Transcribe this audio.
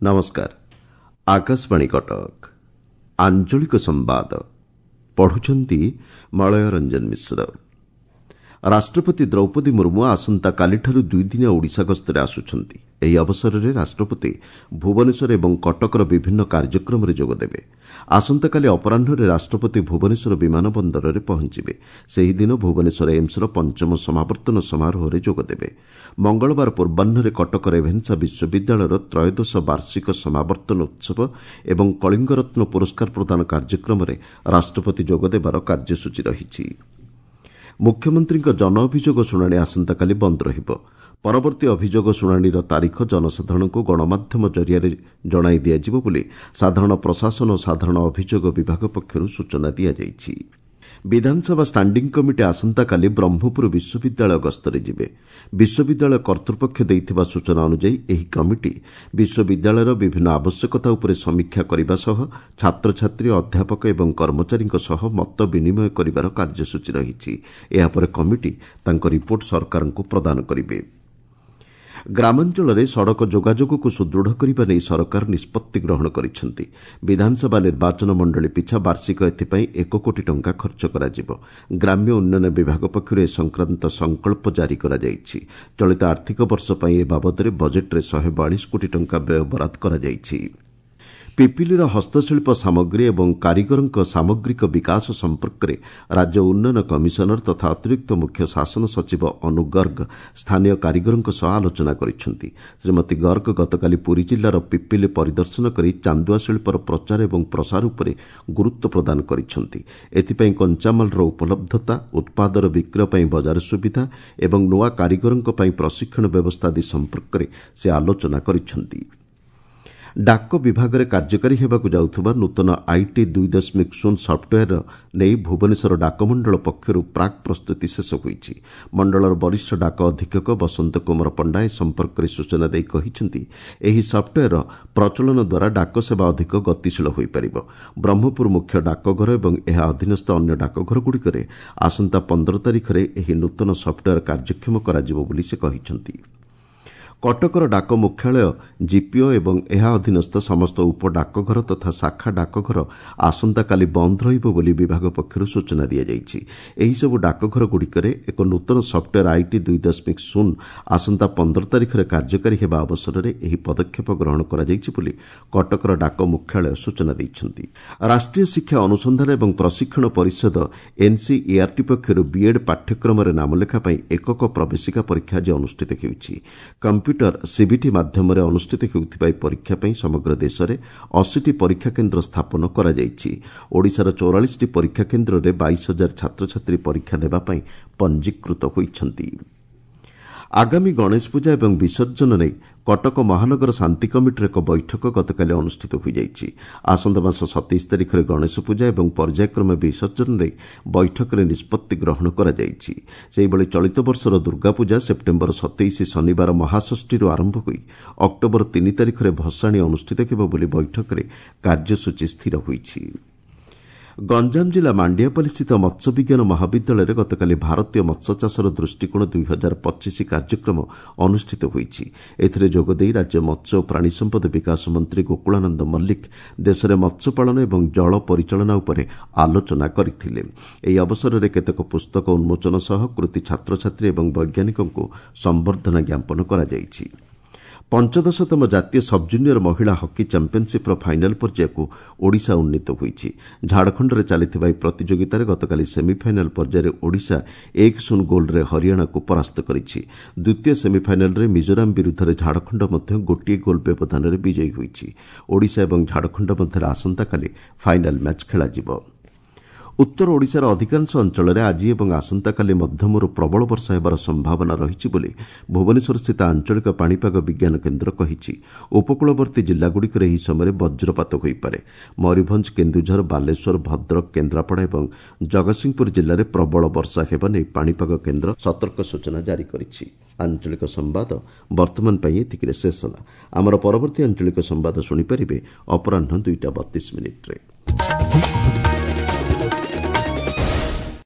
ନମସ୍କାର, ଆକାଶବାଣୀ କଟକ। ଆଞ୍ଚଳିକ ସମ୍ବାଦ ପଢୁଛନ୍ତି ମଳୟ ରଞ୍ଜନ ମିଶ୍ର। ରାଷ୍ଟ୍ରପତି ଦ୍ରୌପଦୀ ମୁର୍ମୁ ଆସନ୍ତାକାଲିଠାରୁ ଦୁଇଦିନିଆ ଓଡ଼ିଶା ଗସ୍ତରେ ଆସୁଛନ୍ତି। ଏହି ଅବସରରେ ରାଷ୍ଟ୍ରପତି ଭୁବନେଶ୍ୱର ଏବଂ କଟକର ବିଭିନ୍ନ କାର୍ଯ୍ୟକ୍ରମରେ ଯୋଗଦେବେ। ଆସନ୍ତାକାଲି ଅପରାହ୍ନରେ ରାଷ୍ଟ୍ରପତି ଭୁବନେଶ୍ୱର ବିମାନ ବନ୍ଦରରେ ପହଞ୍ଚିବେ। ସେହିଦିନ ଭୁବନେଶ୍ୱର ଏମ୍ସର ପଞ୍ଚମ ସମାବର୍ତ୍ତନ ସମାରୋହରେ ଯୋଗଦେବେ। ମଙ୍ଗଳବାର ପୂର୍ବାହ୍ନରେ କଟକ ରେଭେନ୍ସା ବିଶ୍ୱବିଦ୍ୟାଳୟର ତ୍ରୟୋଦଶ ବାର୍ଷିକ ସମାବର୍ତ୍ତନ ଉତ୍ସବ ଏବଂ କଳିଙ୍ଗରତ୍ନ ପୁରସ୍କାର ପ୍ରଦାନ କାର୍ଯ୍ୟକ୍ରମରେ ରାଷ୍ଟ୍ରପତି ଯୋଗଦେବାର କାର୍ଯ୍ୟସୂଚୀ ରହିଛି। ମୁଖ୍ୟମନ୍ତ୍ରୀଙ୍କ ଜନ ଅଭିଯୋଗ ଶୁଣାଣି ଆସନ୍ତାକାଲି ବନ୍ଦ ରହିବ। ପରବର୍ତ୍ତୀ ଅଭିଯୋଗ ଶୁଣାଣିର ତାରିଖ ଜନସାଧାରଣଙ୍କୁ ଗଣମାଧ୍ୟମ ଜରିଆରେ ଜଣାଇ ଦିଆଯିବ ବୋଲି ସାଧାରଣ ପ୍ରଶାସନ ଓ ସାଧାରଣ ଅଭିଯୋଗ ବିଭାଗ ପକ୍ଷରୁ ସୂଚନା ଦିଆଯାଇଛି। ବିଧାନସଭା ଷ୍ଟାଣ୍ଡିଂ କମିଟି ଆସନ୍ତାକାଲି ବ୍ରହ୍ମପୁର ବିଶ୍ୱବିଦ୍ୟାଳୟ ଗସ୍ତରେ ଯିବେ। ବିଶ୍ୱବିଦ୍ୟାଳୟ କର୍ତ୍ତୃପକ୍ଷ ଦେଇଥିବା ସୂଚନା ଅନୁଯାୟୀ ଏହି କମିଟି ବିଶ୍ୱବିଦ୍ୟାଳୟର ବିଭିନ୍ନ ଆବଶ୍ୟକତା ଉପରେ ସମୀକ୍ଷା କରିବା ସହ ଛାତ୍ରଛାତ୍ରୀ, ଅଧ୍ୟାପକ ଏବଂ କର୍ମଚାରୀଙ୍କ ସହ ମତ ବିନିମୟ କରିବାର କାର୍ଯ୍ୟସୂଚୀ ରହିଛି। ଏହାପରେ କମିଟି ତାଙ୍କ ରିପୋର୍ଟ ସରକାରଙ୍କୁ ପ୍ରଦାନ କରିବେ। ଗ୍ରାମାଞ୍ଚଳରେ ସଡ଼କ ଯୋଗାଯୋଗକୁ ସୁଦୃଢ଼ କରିବା ନେଇ ସରକାର ନିଷ୍ପତ୍ତି ଗ୍ରହଣ କରିଛନ୍ତି। ବିଧାନସଭା ନିର୍ବାଚନ ମଣ୍ଡଳୀ ପିଛା ବାର୍ଷିକ ଏଥିପାଇଁ 1 କୋଟି ଟଙ୍କା ଖର୍ଚ୍ଚ କରାଯିବ। ଗ୍ରାମ୍ୟ ଉନ୍ନୟନ ବିଭାଗ ପକ୍ଷରୁ ଏ ସଂକ୍ରାନ୍ତ ସଂକଳ୍ପ ଜାରି କରାଯାଇଛି। ଚଳିତ ଆର୍ଥିକ ବର୍ଷ ପାଇଁ ଏ ବାବଦରେ ବଜେଟ୍ରେ 142 କୋଟି ଟଙ୍କା ବ୍ୟୟ ବରାଦ କରାଯାଇଛି। ପିପିଲିର ହସ୍ତଶିଳ୍ପ ସାମଗ୍ରୀ ଏବଂ କାରିଗରଙ୍କ ସାମଗ୍ରିକ ବିକାଶ ସମ୍ପର୍କରେ ରାଜ୍ୟ ଉନ୍ନୟନ କମିଶନର ତଥା ଅତିରିକ୍ତ ମୁଖ୍ୟ ଶାସନ ସଚିବ ଅନୁ ଗର୍ଗ ସ୍ଥାନୀୟ କାରିଗରଙ୍କ ସହ ଆଲୋଚନା କରିଛନ୍ତି। ଶ୍ରୀମତୀ ଗର୍ଗ ଗତକାଲି ପୁରୀ ଜିଲ୍ଲାର ପିପିଲି ପରିଦର୍ଶନ କରି ଚାନ୍ଦୁଆ ଶିଳ୍ପର ପ୍ରଚାର ଏବଂ ପ୍ରସାର ଉପରେ ଗୁରୁତ୍ୱ ପ୍ରଦାନ କରିଛନ୍ତି। ଏଥିପାଇଁ କଞ୍ଚାମାଲର ଉପଲବ୍ଧତା, ଉତ୍ପାଦର ବିକ୍ରୟ ପାଇଁ ବଜାର ସୁବିଧା ଏବଂ ନୂଆ କାରିଗରଙ୍କ ପାଇଁ ପ୍ରଶିକ୍ଷଣ ବ୍ୟବସ୍ଥା ଆଦି ସମ୍ପର୍କରେ ସେ ଆଲୋଚନା କରିଛନ୍ତି। ଡାକ ବିଭାଗରେ କାର୍ଯ୍ୟକାରୀ ହେବାକୁ ଯାଉଥିବା ନୂତନ IT 2.0 software ନେଇ ଭୁବନେଶ୍ୱର ଡାକମଣ୍ଡଳ ପକ୍ଷରୁ ପ୍ରାକ୍ ପ୍ରସ୍ତୁତି ଶେଷ ହୋଇଛି। ମଣ୍ଡଳର ବରିଷ୍ଠ ଡାକ ଅଧୀକ୍ଷକ ବସନ୍ତ କୁମାର ପଣ୍ଡା ଏ ସମ୍ପର୍କରେ ସୂଚନା ଦେଇ କହିଛନ୍ତି, ଏହି ସଫ୍ଟୱେୟାରର ପ୍ରଚଳନ ଦ୍ୱାରା ଡାକସେବା ଅଧିକ ଗତିଶୀଳ ହୋଇପାରିବ। ବ୍ରହ୍ମପୁର ମୁଖ୍ୟ ଡାକଘର ଏବଂ ଏହା ଅଧୀନସ୍ଥ ଅନ୍ୟ ଡାକଘରଗୁଡ଼ିକରେ ଆସନ୍ତା 15 ତାରିଖରେ ଏହି ନୂତନ ସଫ୍ଟୱେୟାର କାର୍ଯ୍ୟକ୍ଷମ କରାଯିବ ବୋଲି ସେ କହିଛନ୍ତି। କଟକର ଡାକ ମୁଖ୍ୟାଳୟ, ଜିପିଓ ଏବଂ ଏହା ଅଧୀନସ୍ଥ ସମସ୍ତ ଉପଡାକଘର ତଥା ଶାଖା ଡାକଘର ଆସନ୍ତାକାଲି ବନ୍ଦ ରହିବ ବୋଲି ବିଭାଗ ପକ୍ଷରୁ ସୂଚନା ଦିଆଯାଇଛି। ଏହିସବୁ ଡାକଘରଗୁଡ଼ିକରେ ଏକ ନୂତନ ସଫ୍ଟୱେୟାର IT 2.0 ଆସନ୍ତା 15 ତାରିଖରେ କାର୍ଯ୍ୟକାରୀ ହେବା ଅବସରରେ ଏହି ପଦକ୍ଷେପ ଗ୍ରହଣ କରାଯାଇଛି ବୋଲି କଟକର ଡାକ ମୁଖ୍ୟାଳୟ ସୂଚନା ଦେଇଛନ୍ତି। ରାଷ୍ଟ୍ରୀୟ ଶିକ୍ଷା ଅନୁସନ୍ଧାନ ଏବଂ ପ୍ରଶିକ୍ଷଣ ପରିଷଦ ଏନ୍ସିଇଆର୍ଟି ପକ୍ଷରୁ ବିଏଡ୍ ପାଠ୍ୟକ୍ରମରେ ନାମଲେଖା ପାଇଁ ଏକକ ପ୍ରବେଶିକା ପରୀକ୍ଷା ଆଜି ଅନୁଷ୍ଠିତ ହେଉଛି। କମ୍ପ୍ୟୁଟର ସିବିଟି ମାଧ୍ୟମରେ ଅନୁଷ୍ଠିତ ହେଉଥିବା ଏହି ପରୀକ୍ଷା ପାଇଁ ସମଗ୍ର ଦେଶରେ 80ଟି ପରୀକ୍ଷା କେନ୍ଦ୍ର ସ୍ଥାପନ କରାଯାଇଛି। ଓଡ଼ିଶାର 44ଟି ପରୀକ୍ଷା କେନ୍ଦ୍ରରେ 22,000 ଛାତ୍ରଛାତ୍ରୀ ପରୀକ୍ଷା ଦେବା ପାଇଁ ପଞ୍ଜୀକୃତ ହୋଇଛନ୍ତି। ଆଗାମୀ ଗଣେଶ ପୂଜା ଏବଂ ବିସର୍ଜନ ନେଇ କଟକ ମହାନଗର ଶାନ୍ତି କମିଟିର ଏକ ବୈଠକ ଗତକାଲି ଅନୁଷ୍ଠିତ ହୋଇଯାଇଛି। ଆସନ୍ତା ମାସ 27 ତାରିଖରେ ଗଣେଶ ପୂଜା ଏବଂ ପର୍ଯ୍ୟାୟକ୍ରମେ ବିସର୍ଜନ ନେଇ ବୈଠକରେ ନିଷ୍ପତ୍ତି ଗ୍ରହଣ କରାଯାଇଛି। ସେହିଭଳି ଚଳିତ ବର୍ଷର ଦୁର୍ଗାପୂଜା ସେପ୍ଟେମ୍ବର 27 ଶନିବାର ମହାଷଷ୍ଠୀରୁ ଆରମ୍ଭ ହୋଇ ଅକ୍ଟୋବର 3 ତାରିଖରେ ଭସାଣି ଅନୁଷ୍ଠିତ ହେବ ବୋଲି ବୈଠକରେ କାର୍ଯ୍ୟସୂଚୀ ସ୍ଥିର ହୋଇଛି। ଗଞ୍ଜାମ ଜିଲ୍ଲା ମାଣ୍ଡିଆପାଲିସ୍ଥିତ ମତ୍ସ୍ୟବିଜ୍ଞାନ ମହାବିଦ୍ୟାଳୟରେ ଗତକାଲି ଭାରତୀୟ ମତ୍ସ୍ୟଚାଷର ଦୃଷ୍ଟିକୋଣ 2025 କାର୍ଯ୍ୟକ୍ରମ ଅନୁଷ୍ଠିତ ହୋଇଛି। ଏଥିରେ ଯୋଗଦେଇ ରାଜ୍ୟ ମତ୍ସ୍ୟ ଓ ପ୍ରାଣୀ ସମ୍ପଦ ବିକାଶ ମନ୍ତ୍ରୀ ଗୋକୁଳାନନ୍ଦ ମଲ୍ଲିକ ଦେଶରେ ମତ୍ସ୍ୟପାଳନ ଏବଂ ଜଳ ପରିଚାଳନା ଉପରେ ଆଲୋଚନା କରିଥିଲେ। ଏହି ଅବସରରେ କେତେକ ପୁସ୍ତକ ଉନ୍ମୋଚନ ସହ କୃତି ଛାତ୍ରଛାତ୍ରୀ ଏବଂ ବୈଜ୍ଞାନିକଙ୍କୁ ସମ୍ବର୍ଦ୍ଧନା ଜ୍ଞାପନ କରାଯାଇଛି। ପଞ୍ଚଦଶତମ ଜାତୀୟ ସବ୍ଜୁନିୟର ମହିଳା ହକି ଚାମ୍ପିୟନସିପ୍ର ଫାଇନାଲ ପର୍ଯ୍ୟାୟକୁ ଓଡ଼ିଶା ଉନ୍ନୀତ ହୋଇଛି। ଝାଡ଼ଖଣ୍ଡରେ ଚାଲିଥିବା ଏହି ପ୍ରତିଯୋଗିତାରେ ଗତକାଲି ସେମିଫାଇନାଲ ପର୍ଯ୍ୟାୟରେ ଓଡ଼ିଶା 1-0 ଗୋଲ୍ରେ ହରିୟାଣାକୁ ପରାସ୍ତ କରିଛି। ଦ୍ୱିତୀୟ ସେମିଫାଇନାଲରେ ମିଜୋରାମ ବିରୁଦ୍ଧରେ ଝାଡ଼ଖଣ୍ଡ ମଧ୍ୟ 1 ଗୋଲ୍ ବ୍ୟବଧାନରେ ବିଜୟୀ ହୋଇଛି। ଓଡ଼ିଶା ଏବଂ ଝାଡ଼ଖଣ୍ଡ ମଧ୍ୟରେ ଆସନ୍ତାକାଲି ଫାଇନାଲ ମ୍ୟାଚ୍ ଖେଳାଯିବ। ଉତ୍ତର ଓଡ଼ିଶାର ଅଧିକାଂଶ ଅଞ୍ଚଳରେ ଆଜି ଏବଂ ଆସନ୍ତାକାଲି ମଧ୍ୟମରୁ ପ୍ରବଳ ବର୍ଷା ହେବାର ସମ୍ଭାବନା ରହିଛି ବୋଲି ଭୁବନେଶ୍ୱରସ୍ଥିତ ଆଞ୍ଚଳିକ ପାଣିପାଗ ବିଜ୍ଞାନ କେନ୍ଦ୍ର କହିଛି। ଉପକୂଳବର୍ତ୍ତୀ ଜିଲ୍ଲାଗୁଡ଼ିକରେ ଏହି ସମୟରେ ବଜ୍ରପାତ ହୋଇପାରେ। ମୟୂରଭଞ୍ଜ, କେନ୍ଦୁଝର, ବାଲେଶ୍ୱର, ଭଦ୍ରକ, କେନ୍ଦ୍ରାପଡ଼ା ଏବଂ ଜଗତସିଂହପୁର ଜିଲ୍ଲାରେ ପ୍ରବଳ ବର୍ଷା ହେବା ନେଇ ପାଣିପାଗ କେନ୍ଦ୍ର ସତର୍କ ସୂଚନା ଜାରି କରିଛି। ଆଞ୍ଚଳିକ ସମ୍ବାଦ ବର୍ତ୍ତମାନ ପାଇଁ ଏତିକିରେ ଶେଷ ହେଲା। ଆମର ପରବର୍ତ୍ତୀ ଆଞ୍ଚଳିକ ସମ୍ବାଦ ଶୁଣିପାରିବେ ଅପରାହ୍ନ 2ଟା 32 ମିନିଟ୍ରେ।